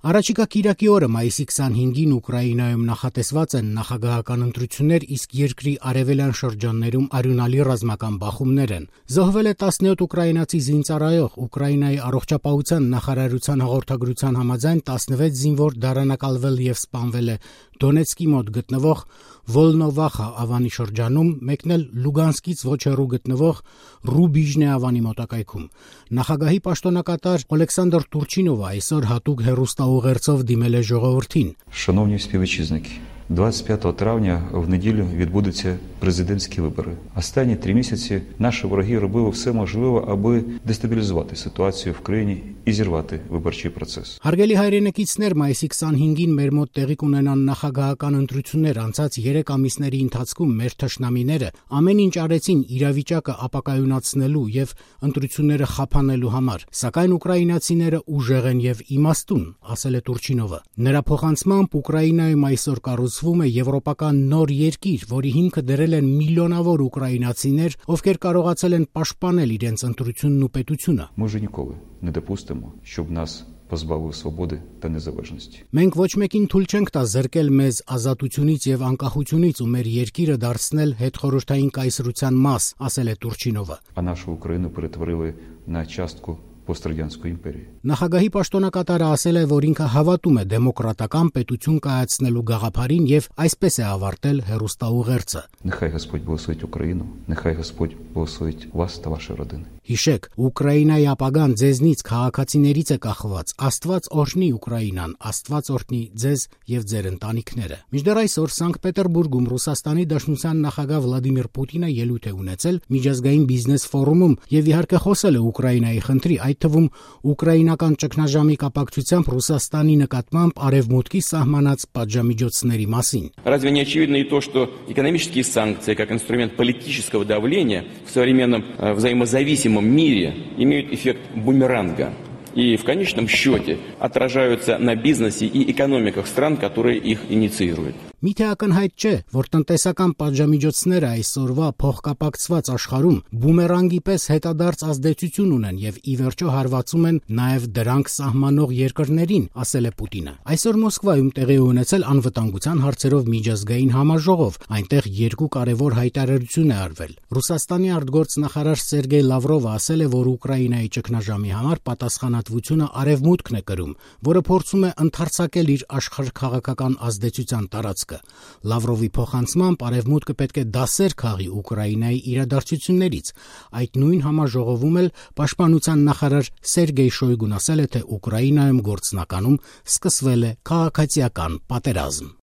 Առաջիկա կիրակի օրը մայիսի 25-ին Ուկրաինայում նախատեսված են նախագահական ընտրություններ, իսկ երկրի արևելյան շրջաններում արյունալի ռազմական բախումներ են։ Զոհվել է 17 ուկրաինացի զինծառայող, Ուկրաինայի առողջապահության նախարարության հաղորդագրության համաձայն 16 զինվոր դարանակալվել եւ սպանվել է Դոնեցկի մոտ գտնվող Վոլնովախա ավանի շրջանում, մեկն էլ Լուգանսկից ոչ հեռու գտնվող Ռուբիժնե ավանի մոտակայքում։ Նախագահի պաշտոնակատար Օլեքսանդր Турчինովը այսօր հատուկ հեռուստաուղերձով дімել է ժողովրդին. Шановні співвітчизники, 25 травня в неділю відбудуться президентські вибори. Останні 3 місяці наші вороги робили все можливе, аби дестабілізувати ситуацію в країні і зірвати виборчий процес. Հարգելի հայրենակիցներ, մայիսի 25-ին մեր մոտ տեղի կունենան նախագահական ընտրություններ, անցած 3 ամիսների ընթացքում մեր թշնամիները ամեն ինչ արեցին իրավիճակը ապակայունացնելու եւ ընտրությունները խափանելու համար, սակայն ուկրաինացիները ուժեղ են եւ իմաստուն, ասել է Турчինովը։ Նրա փոխանցմամբ Ուկրաինայում այսօր կառուցվում է եվրոպական նոր երկիր, որի հիմքը դրել են միլիոնավոր ուկրաինացիներ, ովքեր կարողացել են պաշտպանել իրենց ընտրությունն ու պետությունը։ Ми вже ніколи не допустимо, щоб нас позбавили свободи та незалежності. Մենք ոչ մեկին թույլ չենք տա զրկել մեզ ազատությունից եւ անկախությունից ու մեր երկիրը դարձնել հետխորհրդային կայսրության մաս, ասել է Турчինովը։ А нашу Україну перетворили на частку пострадянської імперії. Նախագահի պաշտոնակատարը ասել է, որ ինքը հավատում է դեմոկրատական պետություն կայացնելու գաղափարին եւ այսպես է ավարտել հեռուստաուղերձը։ Нехай Господь благословить Україну, нехай Господь благословить вас та ваші родини. Հիշեք, Ուկրաինայի ապագան ձեզնից քաղաքացիներից է կախված։ Աստված օրհնի Ուկրաինան, Աստված օրհնի ձեզ եւ ձեր ընտանիքները։ Մինչդեռ այսօր Սանկտ Պետերբուրգում Ռուսաստանի Դաշնության նախագահ Վլադիմիր Պուտինը ելույթ է ունեցել միջազգային բիզնես ֆորումում եւ իհարկե խոսել է Ուկրաինայի խնդրի, այդ թվում ուկրաինական ճգնաժամի կապակցությամբ Ռուսաստանի նկատմամբ արևմուտքի սահմանած պատժամիջոցների մասին։ Разве не очевидно и то, что экономические санкции как инструмент политического давления в современном взаимозависимом мире имеют эффект бумеранга и в конечном счете отражаются на бизнесе и экономиках стран, которые их инициируют. Միթե ակնհայտ չէ, որ տնտեսական պատժամիջոցները այսօրվա փոխկապակցված աշխարհում բումերանգի պես հետադարձ ազդեցություն ունեն եւ ի վերջո հարվածում են նաեւ դրանք սահմանող երկրներին, ասել է Պուտինը։ Այսօր Մոսկվայում տեղի ունեցել անվտանգության հարցերով միջազգային համաժողով, այնտեղ 2 կարևոր հայտարարություն է արվել։ Ռուսաստանի արտգործնախարար Սերգեյ Լավրովը ասել է, որ Ուկրաինայի ճգնաժամի համար պատասխանատվությունը արևմուտքն է կրում, որը փորձում է ընդարձակել իր աշխարհքաղաքական ազդեցության տարածքը։ Լավրովի փոխանցմամբ արևմուտքը պետք է դասեր քաղի Ուկրաինայի իրադարձություններից։ Այդ նույն համաժողովում էլ պաշտպանության նախարար Սերգեյ Շոյգուն ասել է, թե Ուկրաինայում գործնականում սկսվել է քաղաքացիական պատերազմ։